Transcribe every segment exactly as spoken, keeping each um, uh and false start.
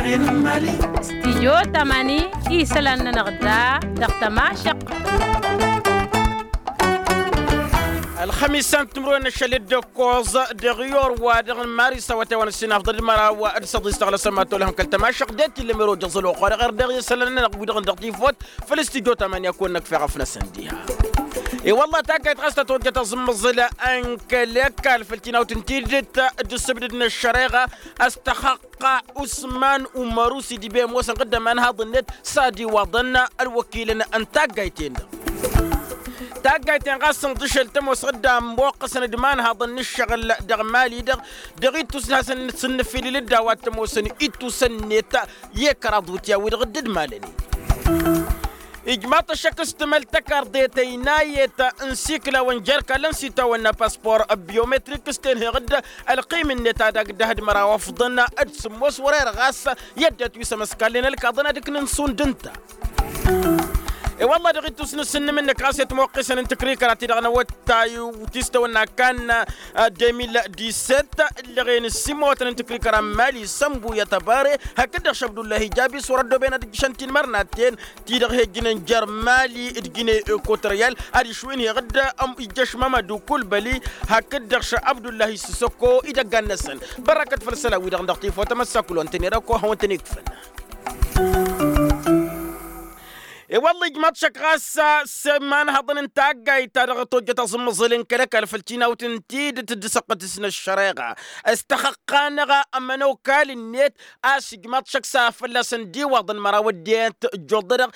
Stijyo tamani isălan-nănăɣ da dăɣ-tămašăq. Ălxămis a n-timǝrwen n-ašăl d-ăkkoẓ dăɣ-iyor wa dăɣ-maris awătay wa n-ăssinafḍăd măraw d-săḍis tăɣlăsăm ad-tolhăm kăl-tămašăq det-illa meroja ẓăloxo dăɣ-erdăɣ i-isălan-nănăɣ wi-dăɣ n-dăɣ-tifot. Făl-stijyo tamani a kăwăn-năkf eɣăf-năsăn diha. I-wălla taggayt ɣas tăt-ojjăt aẓǝmmăẓǝl n-kăl-ăkall făll-tinawt n-tidǝt d-ǝssǝbdǝd n-ăššăreɣa a-s tăxăqqa usman umăru s-idǝbe ămoosăn ɣǝdda imanhaḍ-net s-ad-iwaḍăn ălwăkilăn n-taggayt-en-dăɣ. Taggayt-en ɣas ǝnḍǝšel tămoos ɣǝdda ămmoqqăsăn d-imanhaḍăn n-ǝššăɣǝl dăɣ-mali-dăɣ dăɣ-ittus n-hasăn-nǝsǝnnǝfilǝl dd-a-wa t-ămoosăn ittus ănnet i-kăraḍ wǝtya-wi-dăɣ dd-malănen. Ijmaḍ-t ăššăk s-tǝmăl tăkarḍet ăynayet n-sikla wa n-jer-kallăn s-itawănna paspor biometrik s-tenheɣ-dd ălqim-net ad-agg dd-ahǝd măraw ăfḍăn d-sǝmmos wăr-erăɣ a-s i-ăddinăt wi s-ămăskalnen ălkaḍăn ad-ǝknǝn šund ǝnta. I-wălla dăɣ-ittus n-asǝnnǝm-năk ɣas i-ătmoqqisăn n-tǝkrikăra-ti-dăɣ n-awăttay ti s-tawănna kan de mil dix-sept ǝllăɣen s-imăwătăn n-tǝkrikăra n-mali sănbuya tăbare hakd-dăɣ šăbdullahi jabi s-wăr-ăddoben ad-ǝjjǝšăn tinmărnaten ti-dăɣ he-ǝjjǝnăn jer-mali d-gine ekotăryal ad-išwǝyǝnheɣ-dd ijjăš mamădu kulbăli hakd-dăɣ šăbdullahi s-săkko idăggan-năsăn. Bărrăkăt făll-isălan-wi-dăɣ n-dăɣ tifotăm ăssakul wa n-tăn-ira ăkko hawăn-tăn-ikfăn. I-wălla ijmaḍ-t šăkk ɣas s-imanhăḍăn n-taggayt ta dăɣ-tojjăt aẓǝmmăẓǝl n-kăl-ăkall făll-tinawt n-tidǝt d-asăqqăt-s n-ăššăreɣa s-tăxăqqa-năɣ ămănokal-net. A-s ijmaḍ-t šăkk s-a fălla-săn d-iwaḍăn măraw ăddinăt ǝjjuḍădăɣ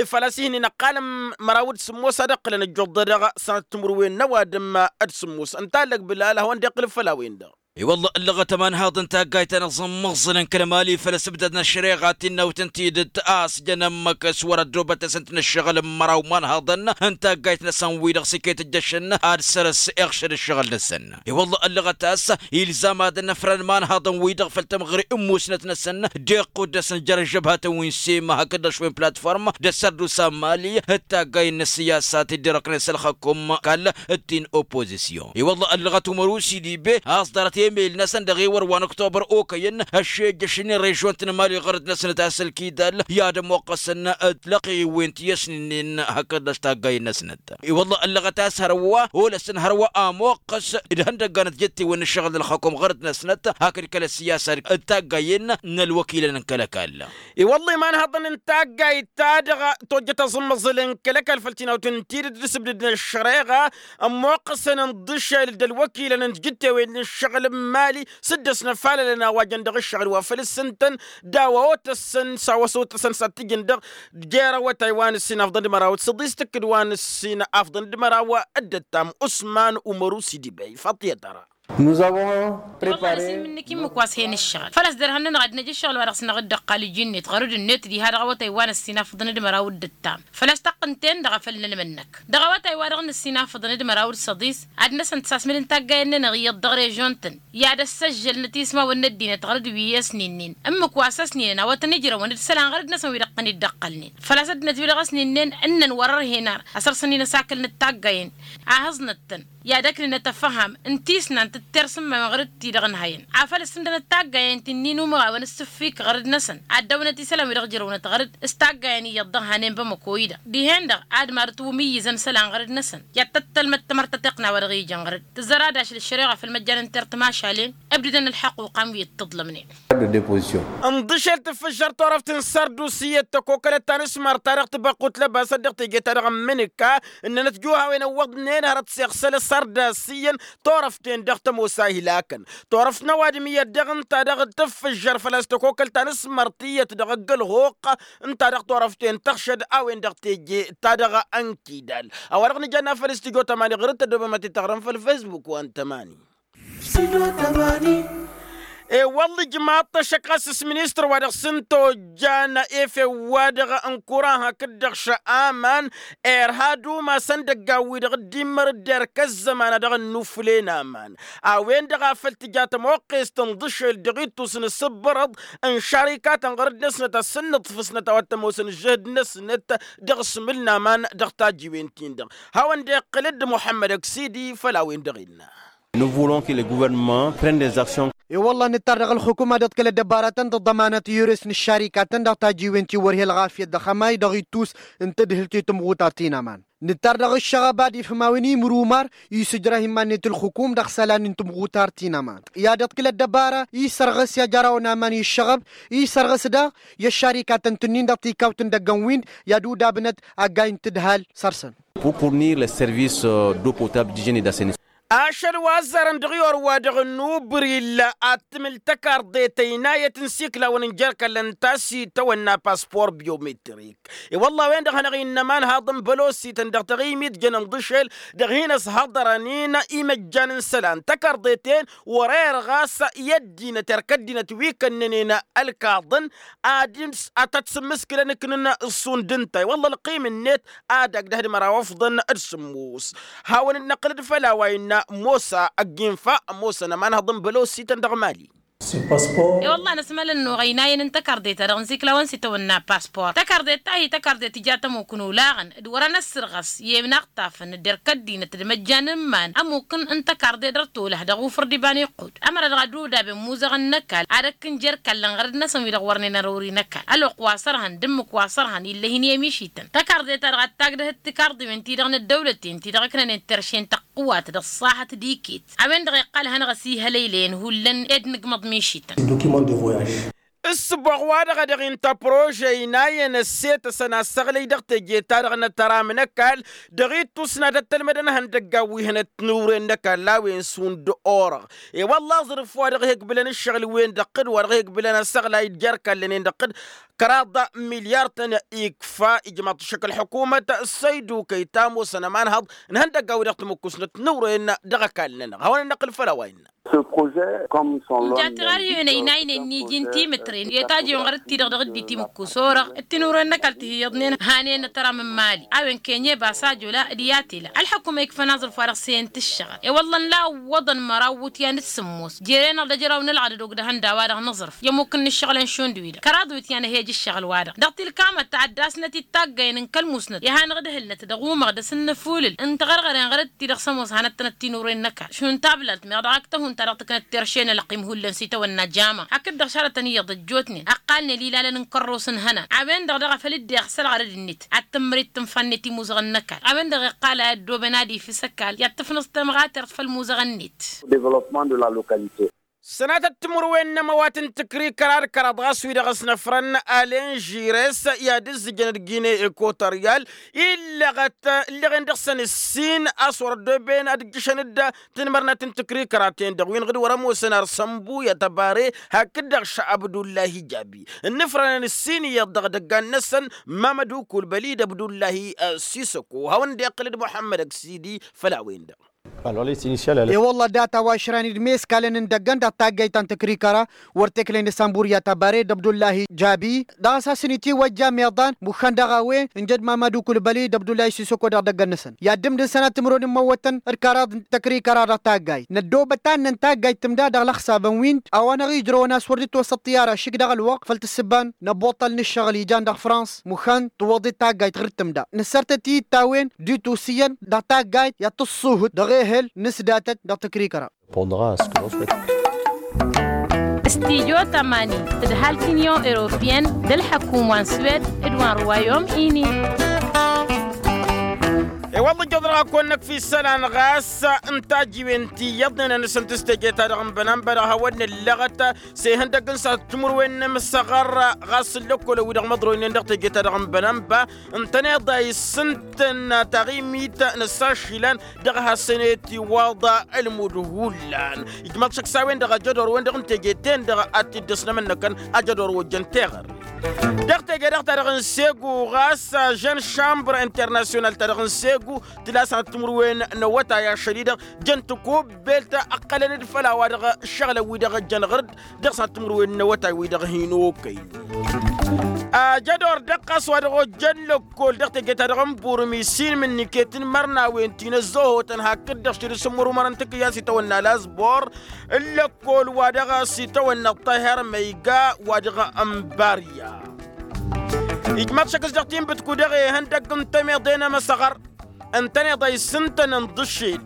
făl-a-s ihǝnnin ăqqalăn măraw d-sǝmmos ad-ǝqqǝlăn ǝjjuḍădăɣ sănăt timǝrwen n-ăwadǝm d-sǝmmos ǝnta ăllăg bǝlal a hawăn-dd-iqqǝl făll-a-wen-dăɣ. I-wălla ăllăɣăt ămanhaḍ n-taggayt-ta-năɣ ẓǝmmăẓǝlăn kăl-mali făll-asǝbdad n-ăššăreɣa tinnawt n-tidǝt a-s jăn ămmăk s-wăr-ăddoobăt-asăn-t n-ǝššăɣǝl n-măraw imanhaḍăn n-taggayt-năsăn-wi-dăɣ s-iket ǝjjăšăn ad-săr-s iɣšăd ǝššăɣǝl-năsăn. I-wălla ăllăɣăt a-s ilzam ad-ănnăfrăn imanhaḍăn-wi-dăɣ făll-tămɣăre n-musnăt-năsăn d-iqqud-dăsăn jer-ăžžăbhatăn wi n-sima hakd-dăɣ šwen platform d-ăssărdusa n-mali d-taggay n-ăssiyasa ti dd-irăknen s-ălxăkum kall-t-in oppozisyon. I-wălla ăllăɣăt umăru s-idibe a-s ḍarăt emel-năsăn dăɣ-ewăr wa n-ăktobăr okăyăn ăššejjăšnen režion-t n-mali ɣărăt-năsnăt a-s ălkidal i-ad-ămoqqăsăn d-lăqewen ti ăsnǝnnen hakd-dăɣ taggay-năsnăt. I-wălla ăllăɣăt a-s hărwa olăsăn hărwa ămoqqăs d-ihăndăgganăt jettewăn n-ǝššăɣǝl n-ălxăkom ɣărăt-năsnăt hakd kăl-ăssiyasa d-taggayen n-ălwăkilăn n-kăl-ăkall. I-wălla imanhăḍăn n-taggayt ta dăɣ-tojjăt aẓǝmmăẓǝl n-kăl-ăkall făll-tinawt n-tidǝt d-asǝbdǝd n-ăššăreɣa ămmoqqăsăn ǝnḍǝšel d-ălwăkilăn n-tijǝttewen n-ǝššăɣǝl n-imali s-dd-ăsnăfalălăn a-wa jăn dăɣ-ǝššăɣǝl wa făll-ǝssǝntăn d-a-wa otăssăn s-a-wa s-otăsăn s-ad-t-ǝjǝn dăɣ-jer-awătay wa n-ǝssin afḍăn d-măraw d-săḍis tǝkkǝd wa n-ǝssin afḍăn d-măraw d-ăttam usman umăru s-idibey faṭiyăt ara. Nuzăwăn prepare. Wăllah năsimǝnnǝk ǝmmǝk wa s-hen ǝššăɣǝl făl-a-s derhan-nănăɣ ad-năj ǝššăɣǝl wa dăɣ-s năɣ dd-ăqqal ǝjǝnnet ɣărăd-net diha dăɣ-awătay wa n-ǝssin afḍăn d-măraw d-ăttam făl-a-s taqqǝnt-en-dăɣ a făl nălmăd-năk dăɣ-awătay wa dăɣ-nǝssin afḍăn d-măraw d-săḍis ad-năsăn tăsasmǝd n-taggayen-nănăɣ iyyăḍ dăɣ-režion-tăn i-ad-ăssăžžălnăt ismawăn n-ăddinăt ɣărăd wi i-ăsninnen ǝmmǝk wa s-ăsninen a-wa tăn-ijrăwăn d-isălan ɣărăd-năsăn wi dăɣ-tăn-dd-ăqqălnen făl-a-s ăddinăt wi dăɣ-ăsninnen ǝnnăn wăr-ărhen ar ăsărsănen asakăl n-ăttaggayen a hǝẓnăt-tăn i-ad-ăknǝnăt ăfham n-tisnant d-tersǝmmawăn ɣărăd-ti-dăɣ ǝnhăyăn afăl ǝssǝndănăt taggayen ti n-inumărawăn ǝssǝffik ɣărăd-năsăn ad-dăwnăt isălan wi dăɣ-ǝjrăwnăt ɣărăd s-taggayen iyyăḍ dăɣ-hanen bamăko-i-dăɣ dihen-dăɣ ad-marǝt wǝmǝyyǝzăn isălan ɣărăd-năsăn i-ad-tăttălmăt tamărt ta tiqna wa dăɣ-ijăn ɣărăd tǝzzăr ad-ašăl ăššăreɣa făll-măjjan n-tert mašalen ǝbdǝdăn ălḥăquqa n-wi ǝttǝḍlămnen. Ǝnḍǝšel tǝffǝžžăr turăft n-sărdusiyyăt tăkokălăt ta n-asmărt ta dăɣ-tibăqqut lăbasăt dăɣ-teje ta dăɣ-ămmǝnǝka ǝnnănăt juhawen ăwwăḍnen hărăt s-iɣsăl asărdusiyyăn turăft-en-dăɣ tămoos a ihlakăn turăft n-ăwadǝm iyyăt dăɣ-ǝnta dăɣ-tǝffǝžžăr făl-a-s tăkokăl ta n-asmărtiyyăt dăɣ-ăgg-ălɣuqq ǝnta dăɣ-turăft-en tăɣšăd a-wen-dăɣ teje ta dăɣ-ănkidal. A-wa-dăɣ nǝjănna făll-stujo tămani ɣur-dd tăddobăm ad-t-tăɣrăm făll-facebook wa n-tămani. E-wălla ijmaḍ-t ăššăk ɣas s-ministăr wa dăɣ-s n-tojjan efew-wa-dăɣ n-kuran hakd-dăɣ šăaman irha d-umas ăndăggan-wi-dăɣ dd-immăr dd-erk ăzzăman a dăɣ-ănnuflen aman a-wen-dăɣ a făl tǝja tămoqqest ǝnḍǝšel dăɣ-ittus n-asǝbbărăḍ n-šarikatăn ɣărăd-năsnăt a-s ǝnnǝḍfǝsnăt a-wa t-ămoosăn ǝžžǝhǝd-năsnăt dăɣ-asmǝl n-aman dăɣ-tajiwen-tin-dăɣ. Hawăn-dd-iqqǝl-dd muḥămmăd ăksidi făll-a-wen-dăɣ innă. Nous voulons que le gouvernement prenne des actions. I-wălla nǝttar dăɣ-ălxukuma d-ăḍkăl ăddăbaratăn d-ăḍḍămanăt i-ures n-ăššarikatăn dăɣ-tajiwen ti wăr he-ălɣafyăt dăɣ-hămay dăɣ-ittus n-tǝdhǝlt i-tǝmɣutar ti n-aman. Nǝttar dăɣ-ǝššăɣăb ad-ifhǝm a-wen imrumar isǝjrah iman-net ǝlxǝkum dăɣ-isălan n-tǝmɣutar ti n-aman i-ad-iḍkǝl ăddăbara isărɣǝs i-ad-jarawăn aman i-ǝššăɣăb isărɣǝs daɣ i-ăššarikatăn tǝnnin dăɣ-tikawt n-idăggăn-win i-ad-udabnăt aggay n-tǝdhal săr-săn. Pour fournir les services d'eau potable, d'hygiène et d'assainissement. Ašăl wa ăzzarăn dăɣ-i orwa-dăɣ n-ubril ad-tǝmǝl tăkarḍet ăynayăt n-siklawăn n-jer-kăllăn n-tasităwănna paspor biometrik. I-wălla a-wen-dăɣ hanăɣ-innă ămanhaḍ n-bălosităn dăɣ-taɣimit jăn n-iḍǝšel dăɣ-hin-ăshăḍărăn-in imăjjan n-isălan tăkarḍet-en wăr-err ɣas i-ăddinăt erk ăddinăt wi kănnănen ălkaḍăn ad-dd-s ad-tăt-sǝmmǝskǝlăn ǝknǝn s-šund ǝnta i-wălla ălqim-net ad-agg dăh-dd-măraw ăfḍăn d-sǝmmos. Hawăn-dd-năqqǝlăd făll-a-wa innă mosa ăgg-infa ămoosăn ămanhăḍ n-bălosităn dăɣ-mali. I-wălla năsmălăn-nuɣ ăynayăn n-tăkarḍe-ta-dăɣ n-siklawăn s-itawănna paspor tăkarḍe-ta-hi tăkarḍe tǝja tămukǝn olaɣăn d-wărăn ăssărɣăs i-inaɣtafăn d-erk ăddinăt d-imăjjan n-iman ămukǝn n-tăkarḍe dăr-tolăh dăɣ-ufǝr d-iba n-iqqud ămăra dăɣ-ad-udabem muzăɣăn n-ăkall ad-ăkk n-jer-kallăn ɣărăd-năsăn wi-dăɣ wărnen ărori n-ăkall ălwăqq wa sărhăn d-ǝmmǝk wa sărhăn ill'-e hin-i-ămišităn tăkarḍe-ta-dăɣ ad-tagdăhăt tikarḍiwen-ti-dăɣ n-ăddăwlăten-ti-dăɣ ǝknănen terše n-tăqqǝwat dăɣ-ăṣṣahăt d-iket. A-wen-dăɣ iqqal hanăɣ-ăsihălăylăyăn hullan ed nǝgmăḍ mišităn. Ǝssǝboɣ wa-dăɣ a dăɣ-inta prože ăynayăn ăssetăsăn asăɣlăy dăɣ-teje-ta-dăɣ n-ătăram n-ăkall dăɣ-ittus n-ad-ăttălmădăn ihăndăggan wi hănăt tinuren n-ăkall a-wen šund orăɣ. I-wălla aẓrǝf wa dăɣ-hi-ǝkbǝlăn ǝššăɣǝl-wen dăɣ-tǝdd wa dăɣ-hi-ǝkbǝlăn asăɣlay d-jer-kallăn-en dăɣ-tǝdd kăraḍ milyar-tăn ikfa ijmaḍ-t ašăk ălḥukumăt săydukăy ta ămoosăn ămanhăḍ n-ihăndăggan wi dăɣ-timǝkkusnăt tinuren dăɣ-ăkall-nănăɣ hawăn-ănnăqqǝl făll-a-wa innă. Nǝja tiɣarhiwen ăynaynen n-iji n-timǝtren i-tajǝwen ɣărăt-ti-dăɣ dăɣ-dd-itimǝkkus orăɣ d-tinuren n-ăkall ti hi-iyyăḍnen hanen ătăram n-imali a-wen kenye basajola d-yatela ălḥăkum a ikfăn aẓrǝf wa dăɣ-s iyyăn tǝššăɣăl i-wălla n-la ǝwwăḍăn măraw iwǝtyan d-sǝmmos jere-năɣ d-ăjraw n-ălɣădăd ogdăhăn d-a-wa-dăɣ nǝẓrǝf i-ămmuk n-inǝššăɣǝlăn šund wi-dăɣ kăraḍ iwǝtyan ăhej ǝššăɣǝl-wa-dăɣ dăɣ-tilkamăt ta ăddasnăt-dd taggayăn n-kăl-musnăt i-ad-hanăɣ-dd-hǝlnăt dăɣ-umăɣ dăr-s n-inǝfulǝl n-tiɣărɣăren ɣărăt-ti-dăɣ s-ămoos hanăt-tănăt tinuren n-ăkall šund tablalt meɣ dăɣ-ak tăhun ta dăɣ-tǝknăt terše n-ălqim hullan s-itawănna jama hakd-dăɣ šarătăn iyyăḍ ăjjootnen ăqqalnen ilalăn n-kărros n-ihănan a-wen-dăɣ daɣ a făl dd-iɣsăl ɣărăd-net ad-tǝmmăr-dd tǝnfa-net imuzăɣăn n-ăkall a-wen-dăɣ iqqal a i-ăddooben ad-ifǝs ăkall i-ad-tǝfnǝẓ tamɣatert făll-imuzăɣăn-net. Sănatăt timǝrwen n-ămăwat n-tǝkrikăra d-kăraḍ ɣas wi-dăɣ ăsnăfrăn alen žires i-ad-ǝzzǝjăn d-gine ekotăryal illăɣăt ǝlleɣen dăɣ-săn ǝssin a-s wăr-ăddooben ad-ǝjjǝšăn-dd tinmărnat n-tǝkrikăra-ten-dăɣ wi n-ɣǝd wăr-ămoosăn arsănbu i-atăbare hakd-dăɣ šăbdullahi jabi ǝnnǝfrănăn ǝssin iyyăḍ dăɣ-idăggan-năsăn mamădu kulbăli d-abdullahi sisăko hawăn-dd-iqqǝl d-muḥămmăd ăksidi făll-a-wen-dăɣ. I-wălla data wa išrăn-dd meskalăn n-idăggăn dăɣ-taggayt ta n-tǝkrikăra wăr t-eklăyăn d-sănbur i-atăbare d-abdullahi jabi dăɣ-a-s hasăn-itiwăjja meḍan muxăn dăɣ-a-wen n-jăd mamădu kulbăli d-abdullahi sisăko dăɣ-idăggăn-năsăn i-ad-dd-ǝmdǝn sănat timǝrwen n-imăwwătăn d-kăraḍ n-tăkrikăra dăɣ-taggayt năddoobăt annăn taggayt tǝmda dăɣ-lăxsabăn-win a-wa n-aɣ-ijrăwăn a-s wăr dd-itwăssăḍ tiyara šik dăɣ-ălwăqq făll-tǝssǝba n-ăbbuṭṭăl n-ǝššăɣǝl ijan dăɣ-frans muxăn tǝwwăḍ-dd taggayt ɣǝr-tǝmda nǝssărtăt-i d-tawen d-itusiyyăn dăɣ-taggayt i-ad-tǝṣṣuhǝt dăɣ-ehăl n-asdatăt dăɣ-tǝkrikăra. Studyo tămani tǝdhal t-inyon europiyăn d-ălḥăkum wa n-swed d-wa n-ruwayom ini. I-wălla ǝjjăḍ-dăɣ a kăwăn-năkf isălan ɣas n-tajiwen ti iyyăḍnen ănăsăn tǝsteje-ta-dăɣ n-bănănba dăɣ-hawăn-nǝllăɣăt s-ihăndăgg n-săr timǝrwen n-imsăɣăr ɣas n-lăkkolăn wi-dăɣ măḍroynen dăɣ-teje-ta-dăɣ n-bănănba ǝntăneḍ a issǝntăn taɣimit n-ăssašilăn dăɣ-hasăn-e-tiwaḍ ălmud hullan ijmaḍ šăkk s-a-wen-dăɣ ajădor-wen-dăɣ n-teje-ten-dăɣ ad-t-dd-ăsnămănnăkăn ajădor wa ojjăn teɣăre. Dăɣ-teje-dăɣ ta dăɣ-n segu ɣas jeune chambre international ta dăɣ-n segu tǝla sănat timǝrwen n-awătay ašăl-i-dăɣ jăn tăkubbelt ǝqqălăn-dd făll-a-wa-dăɣ ǝššăɣǝlăn wi-dăɣ jăn ɣăr-dd dăɣ-sănat timǝrwen n-awătay wi-dăɣ hin-okăynen. Ajădor dăɣ-ɣas wa dăɣ-ojjăn lăkkol dăɣ-teje-ta-dăɣ n-burmi s-inmǝnniket n-imărnawen ti n-ăzzohotăn hakd-dăɣ šid s-ǝmmǝrumărăn tikǝyya s-itawănna lazbor n-lăkkol wa dăɣ-s itawănna ăṭṭaher măyga wa dăɣ-n barya. Ijmaḍ šăkk s-dăɣ-tinbǝtku dăɣ-e ihăndăgg n-tămeḍe n-emăsăɣăr ǝntăneḍ a issǝntăn ǝnḍǝššed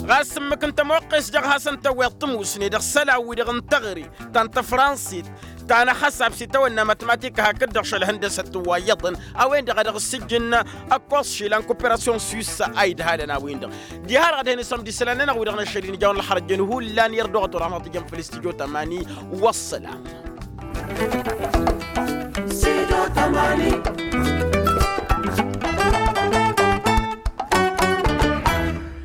Ɣas ǝmmǝk n-tămoqqes dăɣ-hasăn-tăwweḍ tămusne dăɣ-isălan-wi-dăɣ n-teɣăre ta n-tăfransit, ta n-axăsab s-itawănna matmatika hakd-dăɣ šălhăndăsăt wa iyyăḍăn. A-wen-dăɣ a dăɣ-ǝssǝjjǝn ăkkoẓ išilan koperasyon swissa a idhalăn a-wen-dăɣ. Diha-dăɣ ad-hen-isămd isălan-nănăɣ wi-dăɣ n-ašăl-in ijaw n-ălxărăjăn hullan i-ărdăɣăt wăr-anăɣ tǝjăn făll-istudyo tămani. Wăssălam. Studio tămani.